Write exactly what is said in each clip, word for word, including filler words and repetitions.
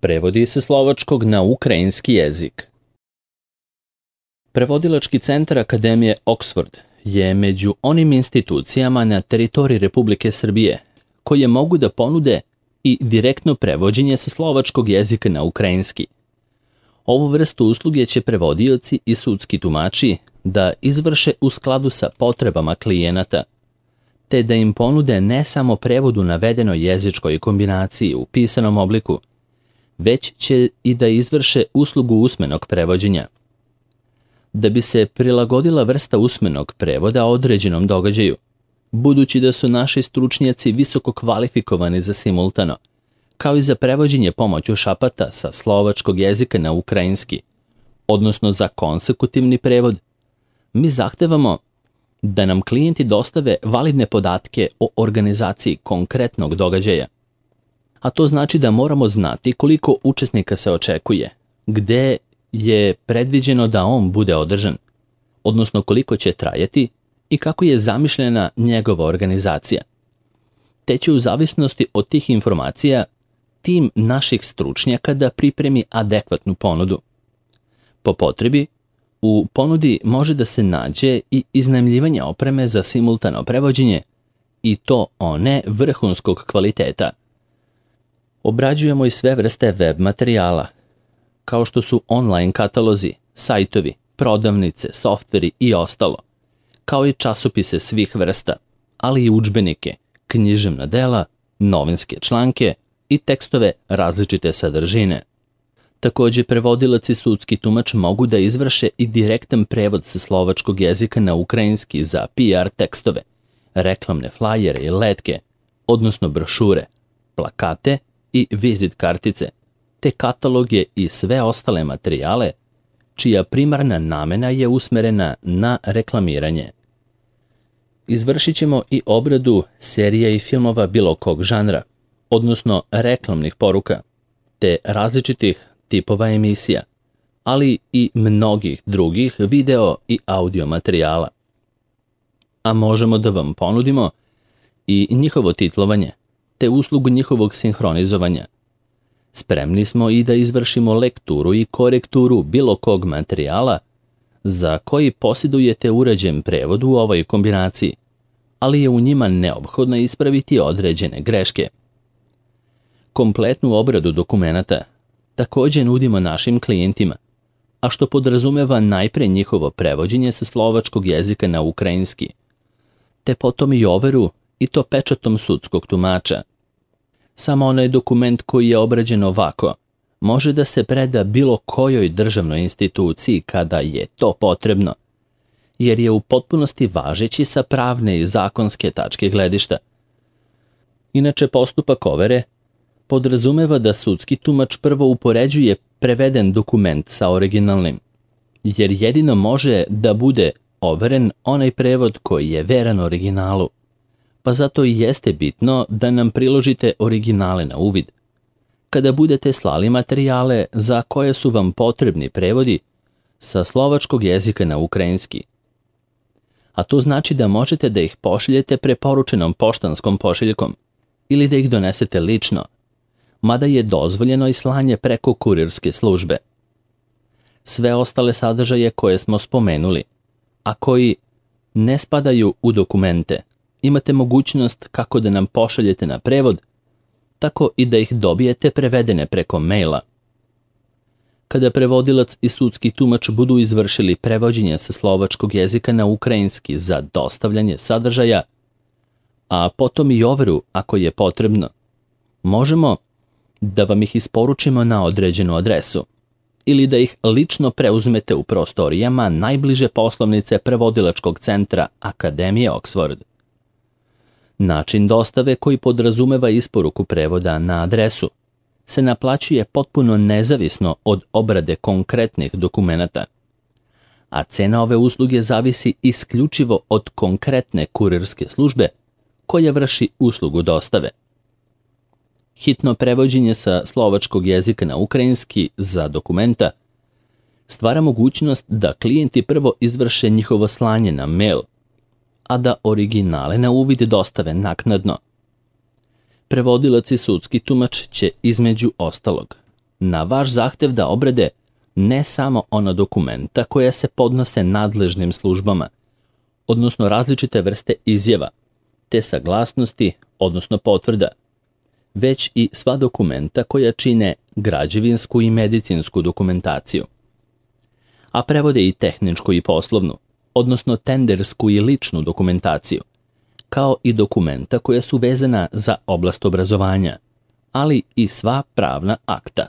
Prevodi se slovačkog na ukrajinski jezik. Prevodilački centar Akademije Oxford je među onim institucijama na teritoriji Republike Srbije koje mogu da ponude i direktno prevođenje sa slovačkog jezika na ukrajinski. Ovu vrstu usluge će prevodioci i sudski tumači da izvrše u skladu sa potrebama klijenata, te da im ponude ne samo prevod u navedenoj jezičkoj kombinaciji u pisanom obliku, već će i da izvrše uslugu usmenog prevođenja. Da bi se prilagodila vrsta usmenog prevoda određenom događaju, budući da su naši stručnjaci visoko kvalifikovani za simultano, kao i za prevođenje pomoću šapata sa slovačkog jezika na ukrajinski, odnosno za konsekutivni prevod, mi zahtevamo da nam klijenti dostave validne podatke o organizaciji konkretnog događaja. A to znači da moramo znati koliko učesnika se očekuje, gde je predviđeno da on bude održan, odnosno koliko će trajati i kako je zamišljena njegova organizacija. Te će u zavisnosti od tih informacija tim naših stručnjaka da pripremi adekvatnu ponudu. Po potrebi, u ponudi može da se nađe i iznajmljivanje opreme za simultano prevođenje, i to one vrhunskog kvaliteta. Obrađujemo i sve vrste web materijala, kao što su online katalozi, sajtovi, prodavnice, softveri i ostalo, kao i časopise svih vrsta, ali i udžbenike, književna dela, novinske članke i tekstove različite sadržine. Takođe, prevodilac i sudski tumač mogu da izvrše i direktan prevod sa slovačkog jezika na ukrajinski za P R tekstove, reklamne flajere i letke, odnosno brošure, plakate i vizit kartice, te kataloge i sve ostale materijale, čija primarna namena je usmerena na reklamiranje. Izvršit ćemo i obradu serija i filmova bilo kog žanra, odnosno reklamnih poruka, te različitih tipova emisija, ali i mnogih drugih video i audio materijala. A možemo da vam ponudimo i njihovo titlovanje, te uslugu njihovog sinhronizovanja. Spremni smo i da izvršimo lekturu i korekturu bilo kog materijala za koji posjedujete uređen prevod u ovoj kombinaciji, ali je u njima neophodno ispraviti određene greške. Kompletnu obradu dokumenata takođe nudimo našim klijentima, a što podrazumeva najpre njihovo prevođenje sa slovačkog jezika na ukrajinski, te potom i overu i to pečatom sudskog tumača. Samo onaj dokument koji je obrađen ovako može da se preda bilo kojoj državnoj instituciji kada je to potrebno, jer je u potpunosti važeći sa pravne i zakonske tačke gledišta. Inače, postupak overe podrazumeva da sudski tumač prvo upoređuje preveden dokument sa originalnim, jer jedino može da bude overen onaj prevod koji je veran originalu, pa zato i jeste bitno da nam priložite originale na uvid. Kada budete slali materijale za koje su vam potrebni prevodi sa slovačkog jezika na ukrajinski, a to znači da možete da ih pošaljete preporučenom poštanskom pošiljkom ili da ih donesete lično, mada je dozvoljeno i slanje preko kurirske službe. Sve ostale sadržaje koje smo spomenuli, a koji ne spadaju u dokumente, imate mogućnost kako da nam pošaljete na prevod, tako i da ih dobijete prevedene preko maila. Kada prevodilac i sudski tumač budu izvršili prevođenje sa slovačkog jezika na ukrajinski za dostavljanje sadržaja, a potom i overu ako je potrebno, možemo da vam ih isporučimo na određenu adresu ili da ih lično preuzmete u prostorijama najbliže poslovnice prevodilačkog centra Akademije Oxford. Način dostave koji podrazumeva isporuku prevoda na adresu se naplaćuje potpuno nezavisno od obrade konkretnih dokumenata, a cena ove usluge zavisi isključivo od konkretne kurirske službe koja vrši uslugu dostave. Hitno prevođenje sa slovačkog jezika na ukrajinski za dokumenta stvara mogućnost da klijenti prvo izvrše njihovo slanje na mail, a da originale na uvid dostave naknadno. Prevodilac i sudski tumač će između ostalog na vaš zahtev da obrade ne samo ona dokumenta koja se podnose nadležnim službama, odnosno različite vrste izjava, te saglasnosti, odnosno potvrda, već i sva dokumenta koja čine građevinsku i medicinsku dokumentaciju, a prevode i tehničku i poslovnu, odnosno tendersku i ličnu dokumentaciju, kao i dokumenta koja su vezana za oblast obrazovanja, ali i sva pravna akta.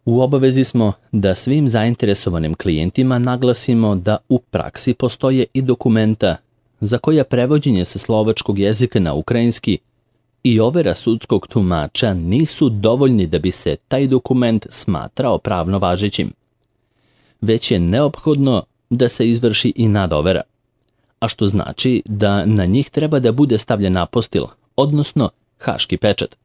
U obavezi smo da svim zainteresovanim klijentima naglasimo da u praksi postoje i dokumenta za koja prevođenje sa slovačkog jezika na ukrajinski i overa sudskog tumača nisu dovoljni da bi se taj dokument smatrao pravno važećim, već je neophodno da se izvrši i nadovera, a što znači da na njih treba da bude stavljen apostil, odnosno haški pečat.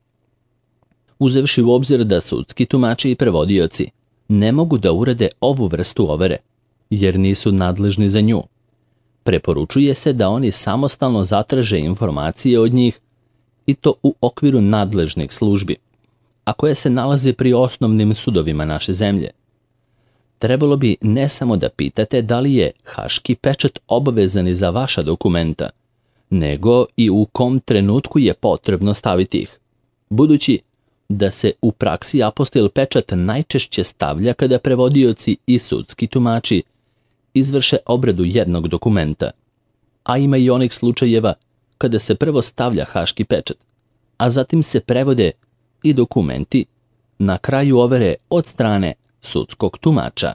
Uzevši u obzir da sudski tumači i prevodioci ne mogu da urade ovu vrstu overe, jer nisu nadležni za nju, preporučuje se da oni samostalno zatraže informacije od njih i to u okviru nadležnih službi, a koje se nalaze pri osnovnim sudovima naše zemlje. Trebalo bi ne samo da pitate da li je haški pečat obavezan i za vaša dokumenta, nego i u kom trenutku je potrebno staviti ih, budući da se u praksi apostil pečat najčešće stavlja kada prevodioci i sudski tumači izvrše obradu jednog dokumenta, a ima i onih slučajeva kada se prvo stavlja haški pečat, a zatim se prevode i dokumenti na kraju overe od strane sudskog tumača.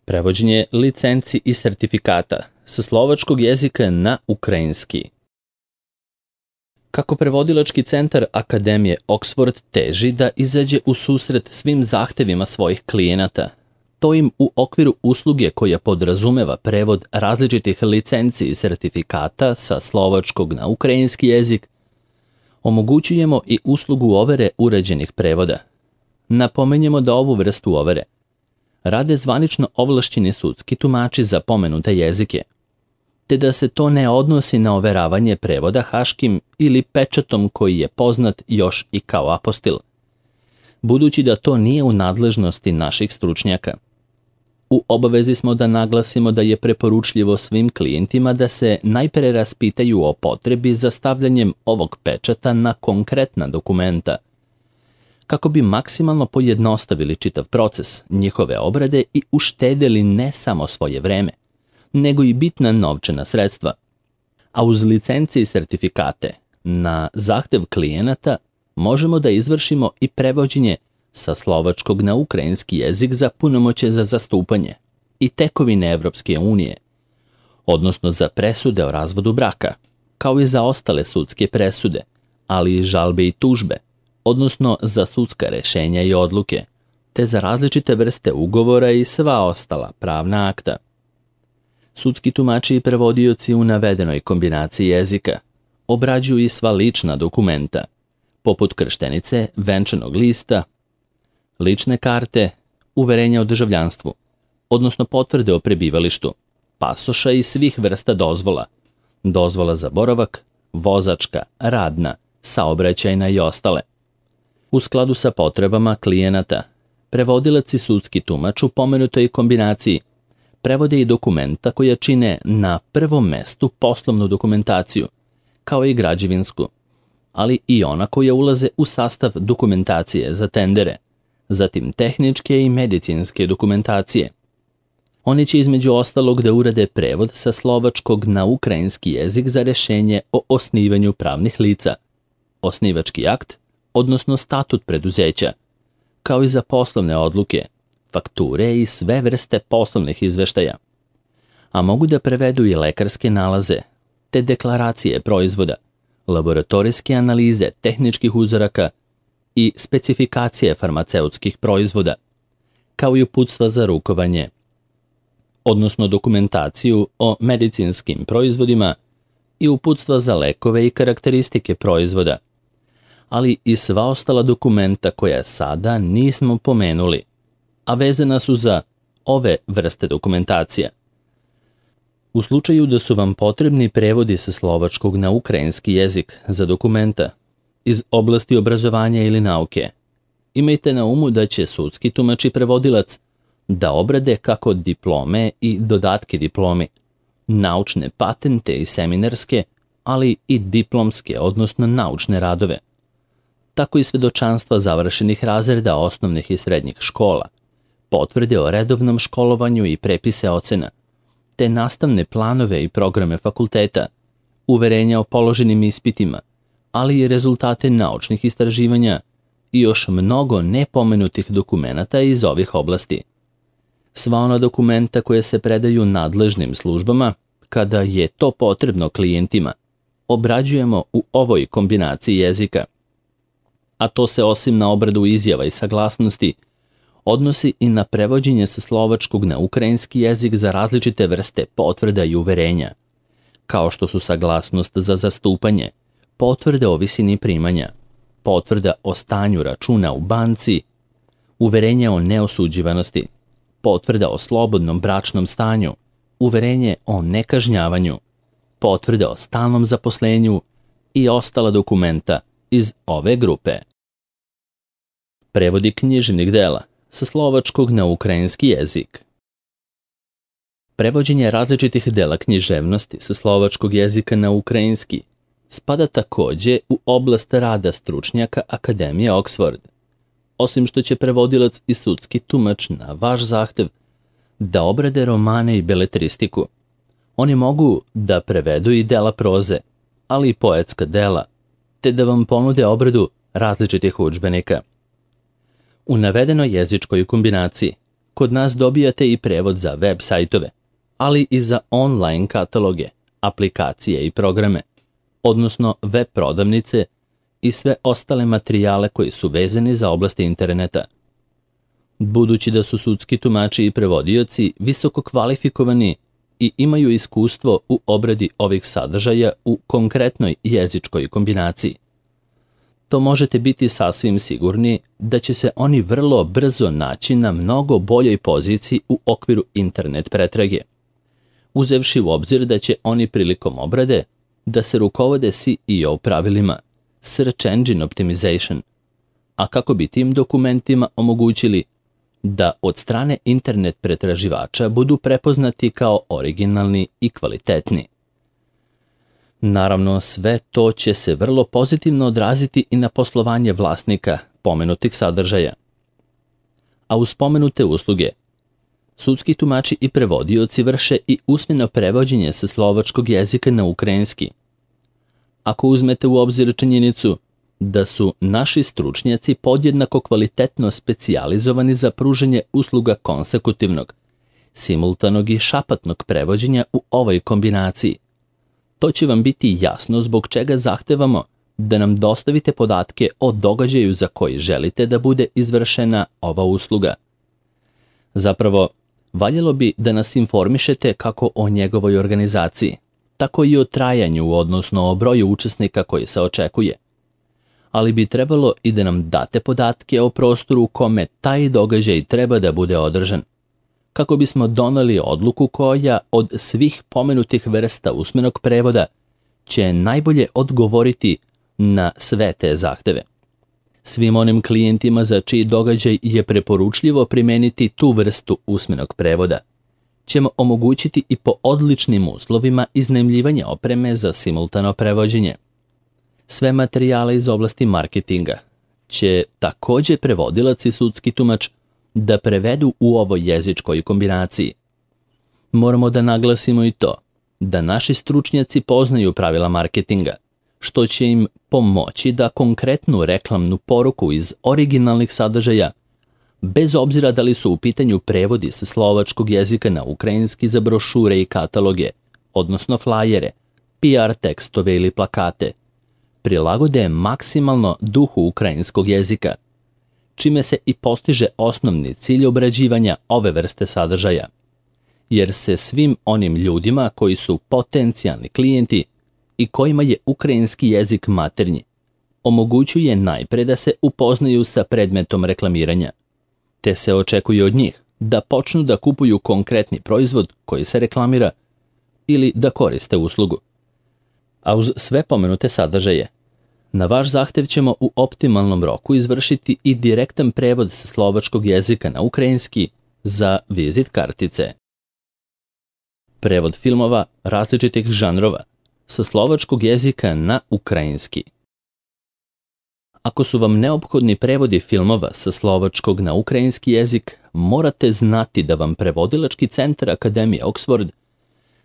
Prevođenje licenci i sertifikata sa slovačkog jezika na ukrajinski. Kako prevodilački centar Akademije Oxford teži da izađe u susret svim zahtevima svojih klijenata, to im u okviru usluge koja podrazumeva prevod različitih licenci i sertifikata sa slovačkog na ukrajinski jezik, omogućujemo i uslugu overe uređenih prevoda. Napomenjemo da ovu vrstu overe rade zvanično ovlašćeni sudski tumači za pomenute jezike, te da se to ne odnosi na overavanje prevoda haškim ili pečatom koji je poznat još i kao apostil, budući da to nije u nadležnosti naših stručnjaka. U obavezi smo da naglasimo da je preporučljivo svim klijentima da se najpre raspitaju o potrebi za stavljanjem ovog pečata na konkretna dokumenta, kako bi maksimalno pojednostavili čitav proces njihove obrade i uštedeli ne samo svoje vreme, nego i bitna novčana sredstva. A uz licence i sertifikate, na zahtev klijenata možemo da izvršimo i prevođenje sa slovačkog na ukrajinski jezik za punomoćje za zastupanje i tekovine Evropske unije, odnosno za presude o razvodu braka, kao i za ostale sudske presude, ali i žalbe i tužbe, odnosno za sudska rešenja i odluke, te za različite vrste ugovora i sva ostala pravna akta. Sudski tumači i prevodioci u navedenoj kombinaciji jezika obrađuju i sva lična dokumenta, poput krštenice, venčanog lista, lične karte, uverenja o državljanstvu, odnosno potvrde o prebivalištu, pasoša i svih vrsta dozvola, dozvola za boravak, vozačka, radna, saobraćajna i ostale. U skladu sa potrebama klijenata, prevodilac i sudski tumač u pomenutoj kombinaciji prevode i dokumenta koja čine na prvom mestu poslovnu dokumentaciju, kao i građevinsku, ali i ona koja ulaze u sastav dokumentacije za tendere, zatim tehničke i medicinske dokumentacije. Oni će između ostalog da urade prevod sa slovačkog na ukrajinski jezik za rešenje o osnivanju pravnih lica, osnivački akt, odnosno statut preduzeća, kao i za poslovne odluke, fakture i sve vrste poslovnih izveštaja. A mogu da prevedu i lekarske nalaze, te deklaracije proizvoda, laboratorijske analize tehničkih uzoraka i specifikacije farmaceutskih proizvoda, kao i uputstva za rukovanje, odnosno dokumentaciju o medicinskim proizvodima i uputstva za lekove i karakteristike proizvoda, ali i sva ostala dokumenta koja sada nismo pomenuli, a vezana su za ove vrste dokumentacija. U slučaju da su vam potrebni prevodi sa slovačkog na ukrajinski jezik za dokumenta iz oblasti obrazovanja ili nauke, imajte na umu da će sudski tumač i prevodilac da obrade kako diplome i dodatke diplomi, naučne patente i seminarske, ali i diplomske, odnosno naučne radove, tako i svedočanstva završenih razreda osnovnih i srednjih škola, potvrde o redovnom školovanju i prepise ocena, te nastavne planove i programe fakulteta, uverenja o položenim ispitima, ali i rezultate naučnih istraživanja i još mnogo nepomenutih dokumenata iz ovih oblasti. Sva ona dokumenta koje se predaju nadležnim službama, kada je to potrebno klijentima, obrađujemo u ovoj kombinaciji jezika. A to se osim na obradu izjava i saglasnosti, odnosi i na prevođenje sa slovačkog na ukrajinski jezik za različite vrste potvrda i uverenja, kao što su saglasnost za zastupanje, potvrde o visini primanja, potvrda o stanju računa u banci, uverenje o neosuđivanosti, potvrda o slobodnom bračnom stanju, uverenje o nekažnjavanju, potvrde o stalnom zaposlenju i ostala dokumenta iz ove grupe. Prevodi književnih dela sa slovačkog na ukrajinski jezik. Prevođenje različitih dela književnosti sa slovačkog jezika na ukrajinski spada takođe u oblast rada stručnjaka Akademije Oxford, osim što će prevodilac i sudski tumač na vaš zahtev da obrade romane i beletristiku. Oni mogu da prevedu i dela proze, ali i poetska dela, te da vam ponude obradu različitih udžbenika. U navedenoj jezičkoj kombinaciji kod nas dobijate i prevod za web sajtove, ali i za online kataloge, aplikacije i programe, odnosno web prodavnice i sve ostale materijale koji su vezani za oblasti interneta. Budući da su sudski tumači i prevodioci visoko kvalifikovani i imaju iskustvo u obradi ovih sadržaja u konkretnoj jezičkoj kombinaciji, to možete biti sasvim sigurni da će se oni vrlo brzo naći na mnogo boljoj poziciji u okviru internet pretrage, uzevši u obzir da će oni prilikom obrade da se rukovode S E O pravilima, Search Engine Optimization, a kako bi tim dokumentima omogućili da od strane internet pretraživača budu prepoznati kao originalni i kvalitetni. Naravno, sve to će se vrlo pozitivno odraziti i na poslovanje vlasnika pomenutih sadržaja. A uz pomenute usluge, sudski tumači i prevodioci vrše i usmeno prevođenje sa slovačkog jezika na ukrajinski. Ako uzmete u obzir činjenicu da su naši stručnjaci podjednako kvalitetno specijalizovani za pružanje usluga konsekutivnog, simultanog i šapatnog prevođenja u ovoj kombinaciji, to će vam biti jasno zbog čega zahtevamo da nam dostavite podatke o događaju za koji želite da bude izvršena ova usluga. Zapravo, valjalo bi da nas informišete kako o njegovoj organizaciji, tako i o trajanju, odnosno o broju učesnika koji se očekuje. Ali bi trebalo i da nam date podatke o prostoru u kome taj događaj treba da bude održan, kako bismo doneli odluku koja od svih pomenutih vrsta usmenog prevoda će najbolje odgovoriti na sve te zahteve. Svim onim klijentima za čiji događaj je preporučljivo primeniti tu vrstu usmenog prevoda ćemo omogućiti i po odličnim uslovima iznajmljivanja opreme za simultano prevođenje. Sve materijale iz oblasti marketinga će takođe prevodilac i sudski tumač da prevedu u ovoj jezičkoj kombinaciji. Moramo da naglasimo i to da naši stručnjaci poznaju pravila marketinga, što će im pomoći da konkretnu reklamnu poruku iz originalnih sadržaja, bez obzira da li su u pitanju prevodi sa slovačkog jezika na ukrajinski za brošure i kataloge, odnosno flajere, P R tekstove ili plakate, prilagode maksimalno duhu ukrajinskog jezika, čime se i postiže osnovni cilj obrađivanja ove vrste sadržaja, jer se svim onim ljudima koji su potencijalni klijenti i kojima je ukrajinski jezik maternji, omogućuje najpre da se upoznaju sa predmetom reklamiranja, te se očekuje od njih da počnu da kupuju konkretni proizvod koji se reklamira ili da koriste uslugu. A uz sve pomenute sadržaje, Na vaš zahtev ćemo u optimalnom roku izvršiti i direktan prevod sa slovačkog jezika na ukrajinski za vizit kartice. Prevod filmova različitih žanrova sa slovačkog jezika na ukrajinski. Ako su vam neophodni prevodi filmova sa slovačkog na ukrajinski jezik, morate znati da vam prevodilački centar Akademije Oxford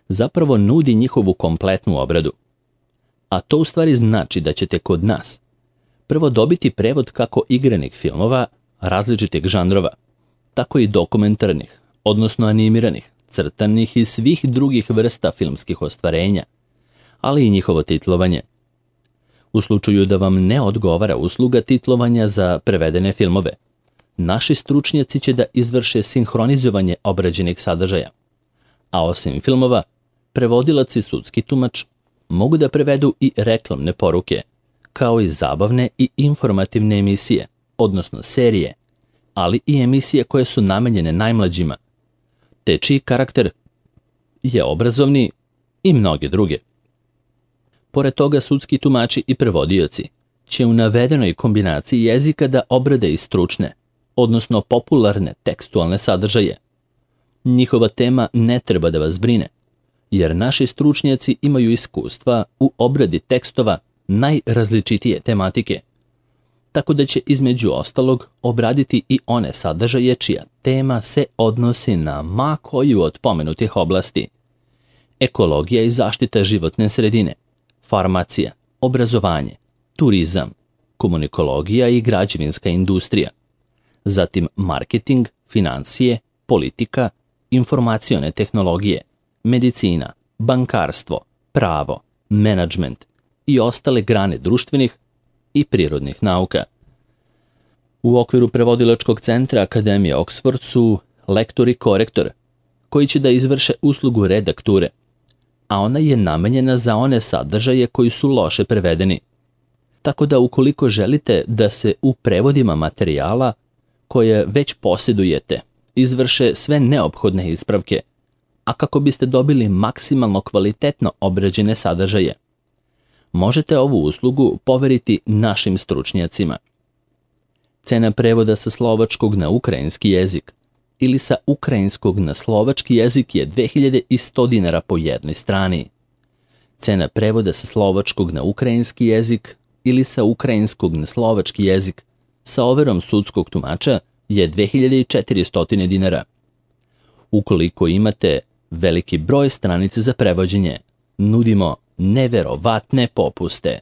zapravo nudi njihovu kompletnu obradu. A to u stvari znači da ćete kod nas prvo dobiti prevod kako igranih filmova različitih žanrova, tako i dokumentarnih, odnosno animiranih, crtanih i svih drugih vrsta filmskih ostvarenja, ali i njihovo titlovanje. U slučaju da vam ne odgovara usluga titlovanja za prevedene filmove, naši stručnjaci će da izvrše sinhronizovanje obrađenih sadržaja. A osim filmova, prevodilac i sudski tumač mogu da prevedu i reklamne poruke, kao i zabavne i informativne emisije, odnosno serije, ali i emisije koje su namenjene najmlađima, te čiji karakter je obrazovni i mnoge druge. Pored toga, sudski tumači i prevodioci će u navedenoj kombinaciji jezika da obrade i stručne, odnosno popularne tekstualne sadržaje. Njihova tema ne treba da vas brine, jer naši stručnjaci imaju iskustva u obradi tekstova najrazličitije tematike, tako da će između ostalog obraditi i one sadržaje čija tema se odnosi na ma koju od pomenutih oblasti: ekologija i zaštita životne sredine, farmacija, obrazovanje, turizam, komunikologija i građevinska industrija, zatim marketing, finansije, politika, informacione tehnologije, medicina, bankarstvo, pravo, menadžment i ostale grane društvenih i prirodnih nauka. U okviru prevodilačkog centra Akademije Oxford su lektor i korektor, koji će da izvrše uslugu redakture, a ona je namenjena za one sadržaje koji su loše prevedeni. Tako da ukoliko želite da se u prevodima materijala koje već posjedujete izvrše sve neophodne ispravke, a kako biste dobili maksimalno kvalitetno obrađene sadržaje, možete ovu uslugu poveriti našim stručnjacima. Cena prevoda sa slovačkog na ukrajinski jezik ili sa ukrajinskog na slovački jezik je dve hiljade sto dinara po jednoj strani. Cena prevoda sa slovačkog na ukrajinski jezik ili sa ukrajinskog na slovački jezik sa overom sudskog tumača je dve hiljade četiristo dinara. Ukoliko imate veliki broj stranica za prevođenje, nudimo neverovatne popuste.